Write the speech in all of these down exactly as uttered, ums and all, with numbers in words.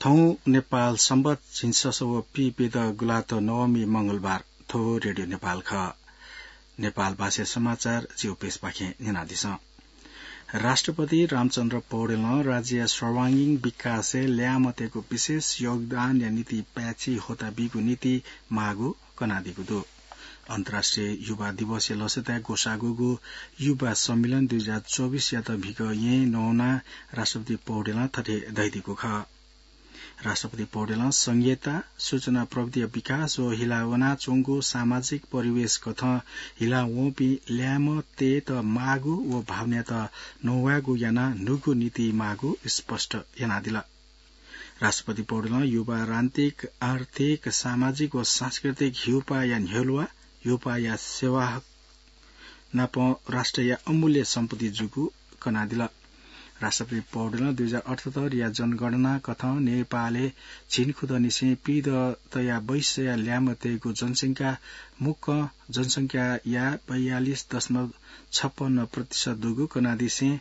थौं नेपाल संवत् झिंछसः व पीप्यदँ गुंलाथ्व नवमी मंगलबार। थ्व रेडियो नेपाल खः। नेपाल भाषा समाचार जिगु पेजपाखें न्यनादिसँ। राष्ट्रपति रामचन्द्र पौडेलं राज्यया सर्वाङ्गीण विकासय् ल्याय्म्हतय्गु विशेष योगदानया निंतिं पाय्छि होता बीगु नीति माःगु कनादीगु दु। अन्तर्राष्ट्रिय युवा दिवसया लसताय् ग्वसाःगु युवा सम्मेलन दुई हजार चौबिसयात म्हिगः येँ नवानाः राष्ट्रपति पौडेलं थथे धयादीगु खः। राष्ट्रपति पौडेलं संघीयता, सूचना प्रविधिया विकास व हिला वनाच्वंगु सामाजिक परिवेश कथं हिला वंपिं ल्याय्म्हतय्त माःगु व भावनायात नवायेगु यानाः न्हूगु नीति माःगु स्पष्ट यानादिल। राष्ट्रपति पौडेलं युवा राजनीतिक, आर्थिक, सामाजिक व सांस्कृतिक ह्यूपाःया न्ह्यलुवा, ह्यूपाःया सेवा नापं राष्ट्रया अमूल्य सम्पत्ति जूगु कनादिल। राष्ट्रपति पौडेलं दुई हजार अठहत्तरया जनगणना कथं नेपालय् झिंखुदँनिसें पीदँ तयाः बैसया ल्याय्म्हतय्गु जनसंख्या मुक्कं जनसंख्याया बयालिस दशमलव छप्पन्न प्रतिशत दुगु कनादिसें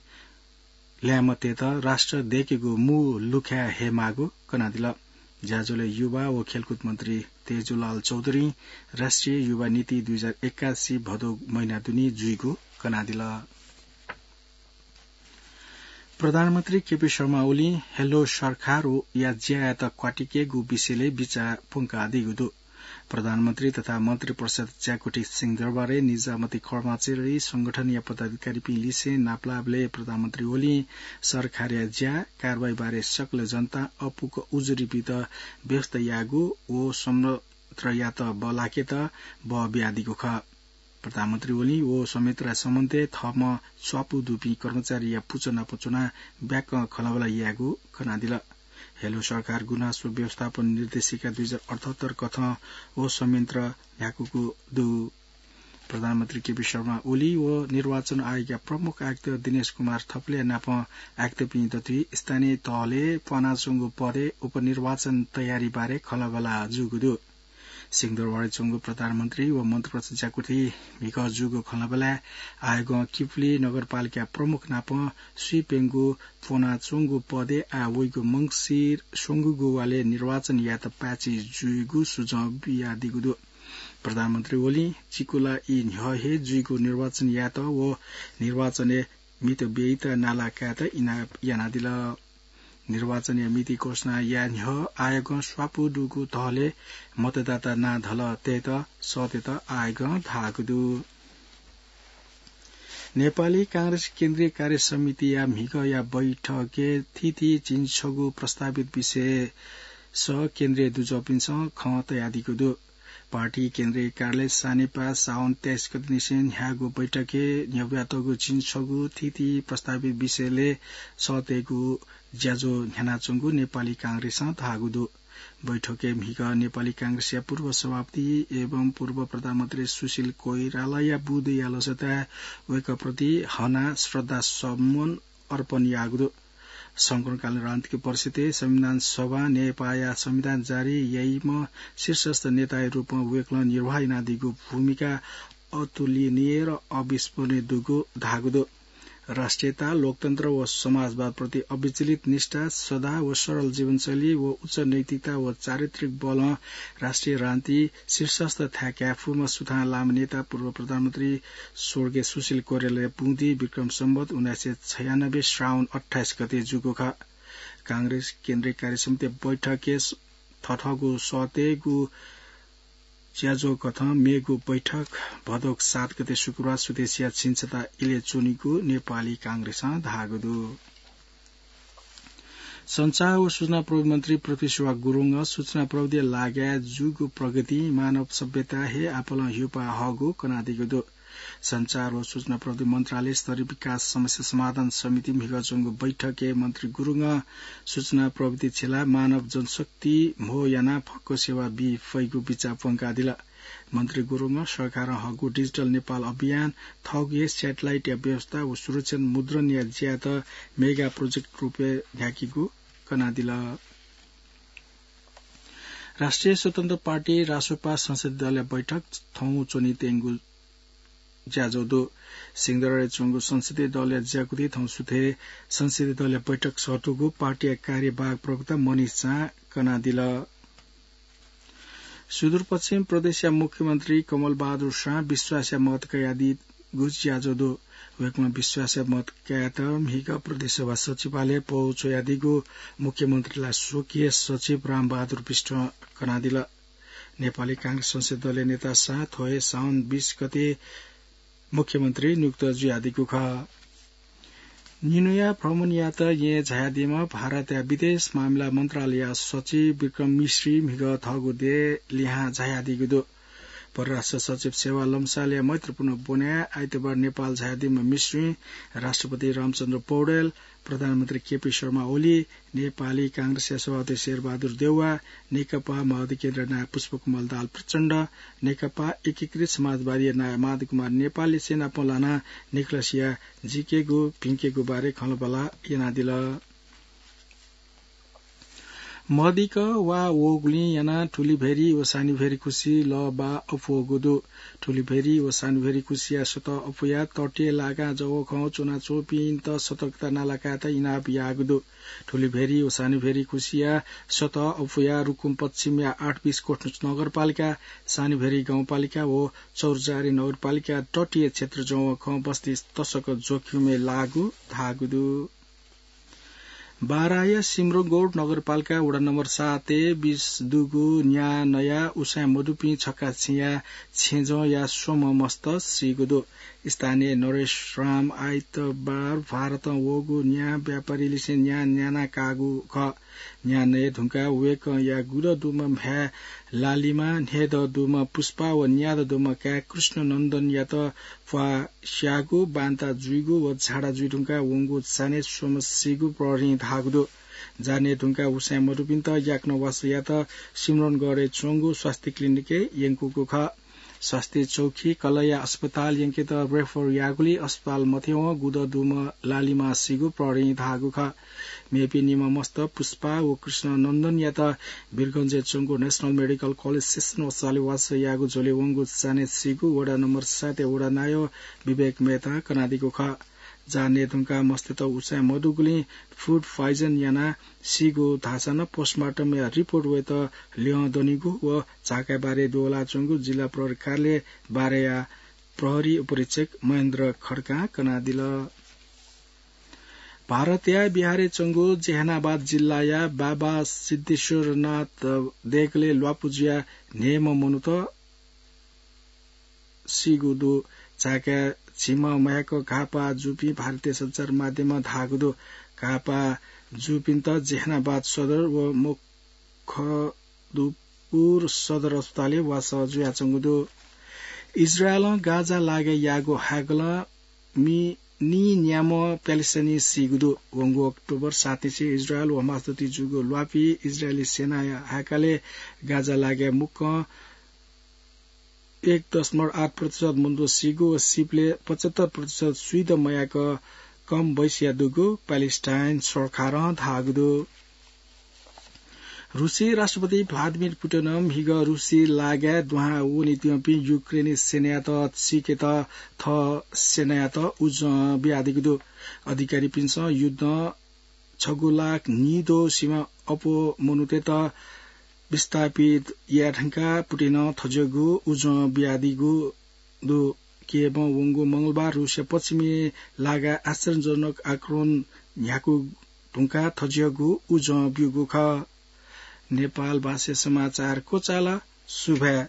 ल्याय्म्हतय्त राष्ट्र दय्केगु मू लुखाय् हयेमाःगु कनादिल। ज्याझ्वलय् युवा व खेलकुद मन्त्री तेजुलाल चौधुरीं राष्ट्रिय युवा नीति दुई हजार एकासी भदौ महिना दुने जुइगु कनादिल। प्रधानमन्त्री केपी शर्मा ओलीं हेलो सरकारया ज्यायात क्वातिकेगु विषयलय् बिचाः प्वंकादीगु दु। प्रधानमन्त्री तथा मन्त्रिपरिषद ज्याकुथि सिंहदरबारय् निजामती कर्मचारी संगठनया पदाधिकारीपिं लिसें नापलाःबलय् प्रधानमन्त्री ओलीं सरकारया ज्या, कारवाहीबारे सकल जनतां अःपुक उजुरी बीत व्यवस्था यायेगु व संयन्त्रयात बल्लाकेत बः बियादीगु खः। प्रधानमन्त्री ओलीं व संयन्त्रया सम्बन्धय् थःम्हं स्वापू दुपिं कर्मचारीया पुचः नाप च्वनाः ब्याकं खँल्हाबल्हा यायेगु कनादिल। हेलो सरकार गुनासो व्यवस्थापन निर्देशिका दुई हजार अठहत्तर कथं व संयन्त्र न्ह्याकूगु दु। प्रधानमन्त्री केपी शर्मा ओली व निर्वाचन आयोगया प्रमुख आयुक्त दिनेश कुमार थपलिया नाप आयुक्तपिं दथुइ स्थानीय तहलय् फ्वनाच्वंगु पदय् उपनिर्वाचन तयारी बारे खँल्हाबल्हा जूगु दु। सिंहदरबारय् च्वंगु प्रधानमन्त्री व मन्त्रिपरिषद ज्याकुथि म्हिगः जूगु खँल्हाबल्हाय् आयोगं किपुली नगरपालिका प्रमुख नाप स्वीप्यंगू फ्वनाच्वंगु पदय् आः वइगु मंसिर स्वंगूगु वालय् निर्वाचन यायेत पाय्छि जुइगु सुझाव बियादीगु दु। प्रधानमन्त्री ओलीं चिकुला ई न्ह्यः हे जुइगु निर्वाचन यायेत व निर्वाचनय् मित ब्ययेत नाला कायेत इनाप यानादिल। निर्वाचनया मिति घोषणा याये न्ह्यः आयोगं स्वापू दुगु तहलय् मतदाता नां धलः तयेत सःतेत आयोगं धाःगु दु। नेपाली कांग्रेस केन्द्रीय कार्य समितिया म्हिगःया बैठकय् थीथी झिंछगू प्रस्तावित विषयस केन्द्रीय दुजःपिन्सं खँ तयादीगु दु। पार्टी केन्द्रीय कार्यालय सानेपाः साउन तेइस गतेनिसें न्ह्याःगु बैठकय् न्ह्यब्वयातःगु झिंछगू थीथी प्रस्तावित विषयलय् सःतेगु ज्याझ्वः न्ह्यानाच्वंगु नेपाली कांग्रेसं धाःगु दु। बैठकय् म्हिगः नेपाली कांग्रेसया पूर्व सभापति एवं पूर्व प्रधानमन्त्री सुशील कोइरालाया बुँदुया लसताय् वय्कःप्रति हनाः श्रद्धा सुमन अर्पण याःगु दु। संकटकालीन राजनीतिक परिस्थितिइ संविधान सभां नेपाःया संविधान जारी याइम्ह शीर्षस्थ नेताया रूपं वय्कलं निर्वाह यानादीगु भूमिका अतुलनीय र अविस्मरणीय दुगु धाःगु दु। राष्ट्रियता, लोकतन्त्र व समाजवादप्रति अविचलित निष्ठा, सदा व सरल जीवनशैली व उच्च नैतिकता व चारित्रिक बलं राष्ट्रिय राजनीति शीर्षस्थ थाय् काये फुम्ह सुथां लाःम्ह नेता पूर्व प्रधानमन्त्री स्वर्गीय सुशील कोइरालाया बुँदि विक्रम सम्वत उन्नाइस सय छयानब्बे श्रावण अट्ठाइस गते जूगु खः। कांग्रेस केन्द्रीय कार्य समिति बैठकय् थथःगु सःतेगु ज्याझ्वः कथं मेगु बैठक भदौ सात गते शुक्रबार सुथसिया झिंछता इलय् च्वनीगु नेपाली कांग्रेसं धाःगु दु। सञ्चार व सूचना प्रविधि मन्त्री पृथ्वी सुवाह गुरुङं सूचना प्रविधिया लागाय् जूगु प्रगतिं मानव सभ्यता हे आपालं ह्यूपाः हःगु कनादीगु दु। सञ्चार व सूचना प्रविधि मन्त्रालय स्तरीय विकास समस्या समाधान समिति म्हिगः च्वंगु बैठकय् मन्त्री गुरुङं सूचना प्रविधि छिलाः मानव जनशक्ति म्हो यानाः फक्व सेवा बी फइगु बिचाः प्वंकादिल। मन्त्री गुरुङं सरकारं हःगु डिजिटल नेपाल अभियान, थःगु हे स्याटेलाइटया व्यवस्था व सुरक्षित मुद्रणया ज्यायात मेगा प्रोजेक्ट रूपय् न्ह्याकीगु कनादिल। राष्ट्रिय स्वतन्त्र पार्टी रासोपा संसदीय दलया बैठक थौं च्वनीत्यंगु ज्याझ्वः दु। सिंहदरबारय् च्वंगु संसदीय दलया ज्याकुथि थौं सुथय् संसदीय दलया बैठक सःतूगु पार्टीया कार्यवाहक प्रवक्ता मनिष झां कनादिल। सुदूरपश्चिम प्रदेशया मुख्यमन्त्री कमल बहादुर शाह विश्वासया मत कयादीगु ज्याझ्वः दु। वय्कलं विश्वासया मत कयात म्हिगः प्रदेशसभा सचिवालयय् पौ च्वयादीगु मुख्यमन्त्रीया स्वकीय सचिव रामबहादुर विष्टं कनादिल। नेपाली कांग्रेस संसदीय दलया नेता शाह थ्व हे साउन बीस गते मुख्यमन्त्री नियुक्त जुयादीगु खः। निन्हुया भ्रमणयात येँ झायादीम्ह भारतया विदेश मामिला मन्त्रालयया सचिव विक्रम मिश्री म्हिगः थःगु देय् लिहां झायादीगु दु। परराष्ट्र सचिव सेवा लम्सालया मैत्रीपूर्ण ब्वनय् आइतबार नेपाल झायादीम्ह मिश्रीं राष्ट्रपति रामचन्द्र पौडेल, प्रधानमन्त्री केपी शर्मा ओली, नेपाली कांग्रेसया सभापति शेरबहादुर देउवा, नेकपा माओवादी केन्द्रया नायः पुष्पकमल दाहाल प्रचण्ड, नेकपा एकीकृत समाजवादीया नायः माधव कुमार नेपाललिसे नाप लानाः निकलसिया जीकेगु भिंकेगु बारे खँल्हाबल्हा यानादिल। मदिक्क वा वःगुलिं यानाः ठुलीभेरी व सानीभेरी खुसि लःबाः अप्वःगु दु। ठुलीभेरी व सानीभेरी खुसिया सतह अप्वयाः तटीय लागां जवःखं च्वनाच्वंपिन्त सतर्कता नालाकायेत इनाप याःगु दु। ठुलीभेरी व सानीभेरी खुसिया सतह अप्वयाः रुकुम पश्चिमया आठ बिस कोट नगरपालिका, सानीभेरी गाउँपालिका व चौरजारी नगरपालिका तटीय क्षेत्र जवःखं बस्ती तसकं जोखिमय् लाःगु धाःगु दु। बाराया सिम्रौनगढ नगरपालिका वडा नम्बर सातय् बिस दुगु न्याः नयाः उसाँय् मदुपिं छक्का छेँया छेँजःया स्वम्ह मस्त सीगु दु। स्थानीय नरेश राम आइतबार भारतं वःगु न्याः व्यापारीलिसे न्याः न्याना काःगु खः। न्याः नये धुंकाः वय्कःया गुदँ दुम्ह म्ह्याय् लालिमा, न्हय्दँ दुम्ह पुष्पा व न्यादँ दुम्ह काय् कृष्ण नन्दनयात प्वाः स्याःगु, बान्ता जुइगु व झाडा जुइ धुंकाः वंगु चान्हय् स्वम्ह सीगु प्रहरीं धाःगु दु। जान्हय् धुंकाः उसाँय् मदुपिन्त याकनं वासः यायेत सिम्रौनगढय् च्वंगु स्वास्थ्य क्लिनिकय् यंकूगु खः। स्वास्थ्य चौकी कलया अस्पताल यंकेत रेफर याःगुलिं अस्पताल मथ्यंवं गुदँ दुम्ह लालिमा सीगु प्रहरीं धाःगु खः। मेपिं निम्ह मस्त पुष्पा व कृष्ण नन्दनयात वीरगंजय् च्वंगु नेशनल मेडिकल कलेज सेसन अस्पतालय् वासः याःगु झ्वलय् वंगु चान्हय् सीगु वडा नम्बर सातया वडा नायः विवेक मेहतां कनादीगु खः। जान्हय् धुंकाः मस्तय्त उसाँय् मदुगुलिं फुड प्वाइजन यानाः सीगु धाःसा नं पोस्टमार्टमया रिपोर्ट वयेत ल्यं दनिगु व झाकाय् बारे दुवलाच्वंगु जिल्ला प्रहरी कार्यालय बाराया प्रहरी उपरीक्षक महेन्द्र खड्कां कनादिल। भारतया बिहारय् च्वंगु जेहानाबाद जिल्लाया बाबा सिद्धेश्वरनाथ देगलय् ल्वापु जुयाः न्हय्म्ह मनूत सीगु दु। झाकाय् झिम्ह मयाक घाःपाः जूपिं भारतीय सञ्चार माध्यमं धाःगु दु। घाःपाः जूपिन्त जेहानाबाद सदर व मखदुपुर सदर अस्पतालय् वासः जुयाच्वंगु दु। इजरायलं गाजा लागाय् याःगु हाय्कलं मि-, नीन्याम्ह प्यालेस्टाइनी सीगु दु। वंगु अक्टोबर सात निसें इजरायल व हमास दथुइ जूगु ल्वापी इजरायली सेनाया हाय्कलय् गाजा लागाय् मुक्कं एक दशमलव आठ प्रतिशत मनूत सीगु व सीबलय् पचहत्तर प्रतिशत स्वीदँ मयाक कम बैसिया दुगु प्यालेस्टाइन सरकारं धाःगु दु। रुसी राष्ट्रपति भ्लादिमिर पुटिनं म्हिगः रुसी लागाय् दुहां वनेत्यंपिं युक्रेनी सेनायात सीकेत थः सेनायात उजं बियादीगु दु। अधिकारीपिन्सं युद्धं छगू लाख नीद्वः सिमा अप्वः मनूतय्त विस्थापित याये धुंकाः पुटिनं थज्याःगु उजं बियादीगु दु। कियेवं वंगु मंगलबार रुसिया पश्चिमी लागाय् आश्चर्यजनक आक्रमण न्ह्याकू धुंकाः थज्याःगु उजं ब्यूगु खः। नेपाल भाषा समाचार क्वचाल। सुभाय्।